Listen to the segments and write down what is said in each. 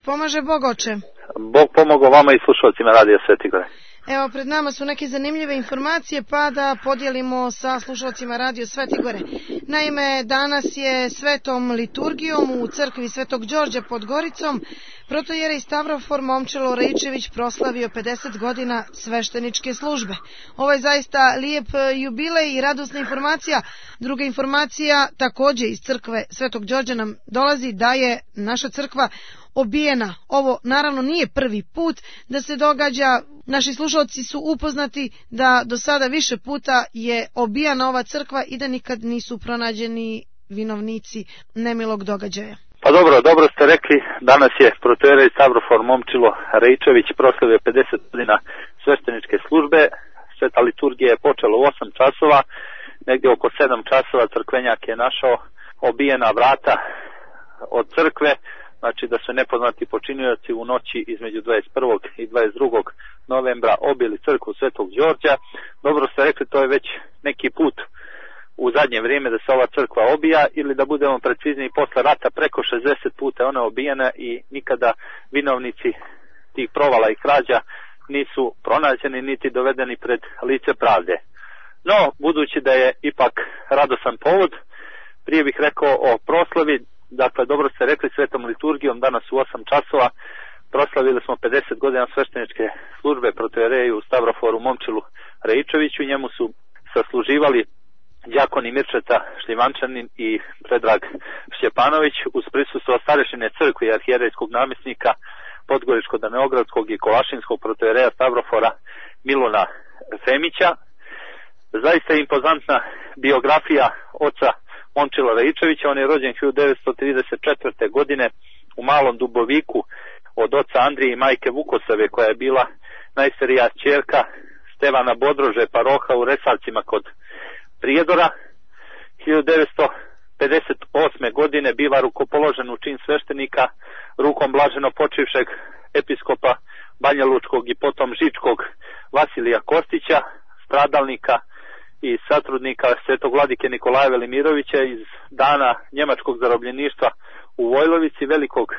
Pomaže Bog, oče. Bog pomogao vama i slušalcima Radija Sveti Gore. Evo, pred nama su neke zanimljive informacije, pa da podijelimo sa slušalcima Radio Sveti Gore. Naime, danas je svetom liturgijom u crkvi Svetog Đorđa pod Goricom protojerej Stavrofor Momčilo Rejčević proslavio 50 godina svešteničke službe. Ovo je zaista lijep jubilej i radosna informacija. Druga informacija, također iz crkve Svetog Đorđa nam dolazi da je naša crkva obijena. Ovo naravno nije prvi put da se događa. Naši slušalci su upoznati da do sada više puta je obijana ova crkva i da nikad nisu pronađeni vinovnici nemilog događaja. Pa dobro ste rekli, danas je protojerej Stavrofor Momčilo Rejčević proslavio 50 godina svešteničke službe. Sveta liturgija je počela u 8 časova, negdje oko 7 časova crkvenjak je našao obijena vrata od crkve, znači da su nepoznati počinioci u noći između 21. i 22. novembra obili crkvu Svetog Đorđa. Dobro ste rekli, to je već neki put u zadnje vrijeme da se ova crkva obija, ili da budemo precizniji, posle rata preko 60 puta ona obijena i nikada vinovnici tih provala i krađa nisu pronađeni niti dovedeni pred lice pravde. No, budući da je ipak radosan povod, prije bih rekao o proslavi. Dakle, dobro ste rekli, svetom liturgijom danas u 8 časova proslavili smo 50 godina svešteničke službe protojereju Stavroforu Momčilu Rejčeviću. Njemu su sasluživali đakoni Mirčeta Šljivančanin i Predrag Šćepanović uz prisustvo starešine crkve i arhijerejskog namjesnika Podgoričko-Daneogradskog i Kolašinskog protojereja Stavrofora Miluna Femića. Zaista je impozantna biografija oca Momčila Rejčevića. On je rođen 1934. godine u Malom Duboviku od oca Andrije i majke Vukosave, koja je bila najstarija ćerka Stevana Bodrože, paroha u Resavcima kod Prijedora. 1958. godine biva rukopoložen u čin sveštenika rukom blaženo počivšeg episkopa Banja Lučkog i potom Žičkog Vasilija Kostića, stradalnika i satrudnika svetog vladike Nikolaja Velimirovića iz dana njemačkog zarobljeništva u Vojlovici, velikog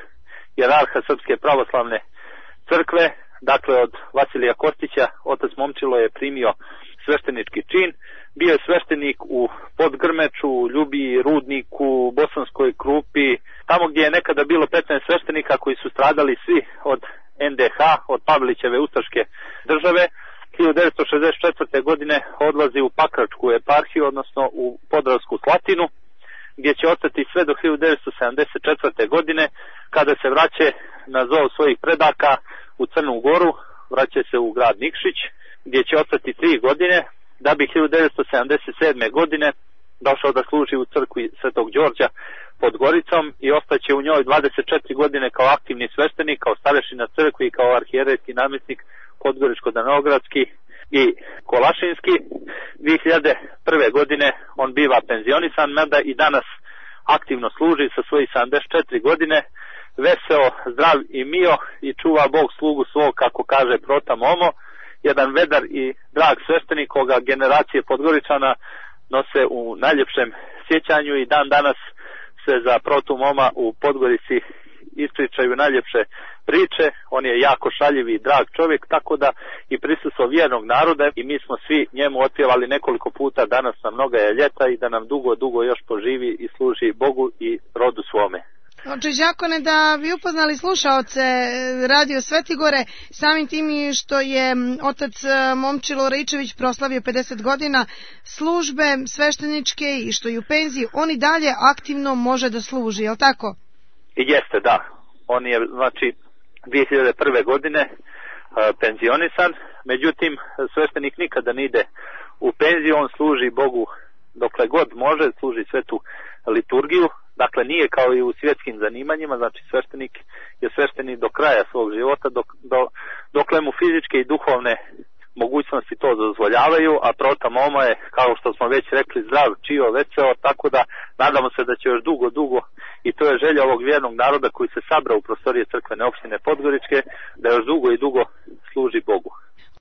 jerarha Srpske pravoslavne crkve. Dakle, od Vasilija Kostića otac Momčilo je primio sveštenički čin. Bio je sveštenik u Podgrmeču, Ljubiji, Rudniku, Bosanskoj Krupi, tamo gdje je nekada bilo 15 sveštenika koji su stradali svi od NDH, od Pavelićeve ustaške države. 1964. godine odlazi u Pakračku eparhiju, odnosno u Podravsku Slatinu, gdje će ostati sve do 1974. godine, kada se vraća na zov svojih predaka u Crnu Goru, vraća se u grad Nikšić, gdje će ostati 3 godine, da bi 1977. godine došao da služi u crkvi Svetog Đorđa pod Goricom i ostaće u njoj 24 godine kao aktivni sveštenik, kao starešina crkvi i kao arhijerejski namjesnik Podgoričko-Daneogradski i Kolašinski. 2001. godine on biva penzionisan, mada i danas aktivno služi sa svojih 74 godine, veseo, zdrav i mio, i čuva Bog slugu svog, kako kaže prota Momo, jedan vedar i drag sveštenik koga generacije Podgoričana nose u najljepšem sjećanju i dan danas se za protu Moma u Podgorici ispričaju najljepše priče. On je jako šaljiv i drag čovjek, tako da i prisustvo vjernog naroda, i mi smo svi njemu otpjevali nekoliko puta danas na mnoga je ljeta, i da nam dugo još poživi i služi Bogu i rodu svome. Oče đakone, da bi upoznali slušaoce Radio Sveti Gore, samim tim što je otac Momčilo Rejčević proslavio 50 godina službe svešteničke i što je u penziji, on i dalje aktivno može da služi, je li tako? I jeste, da. On je, znači, 2001. godine penzionisan, međutim sveštenik nikada ne ide u penziju, on služi Bogu dokle god može, služi svetu liturgiju. Dakle, nije kao i u svjetskim zanimanjima, znači sveštenik je sveštenik do kraja svog života, dokle mu fizičke i duhovne mogućnosti to dozvoljavaju, a prota Moma je, kao što smo već rekli, zdrav, čio, veseo, tako da nadamo se da će još dugo, i to je želja ovog vjernog naroda koji se sabra u prostorije crkvene opštine Podgoričke, da još dugo služi Bogu.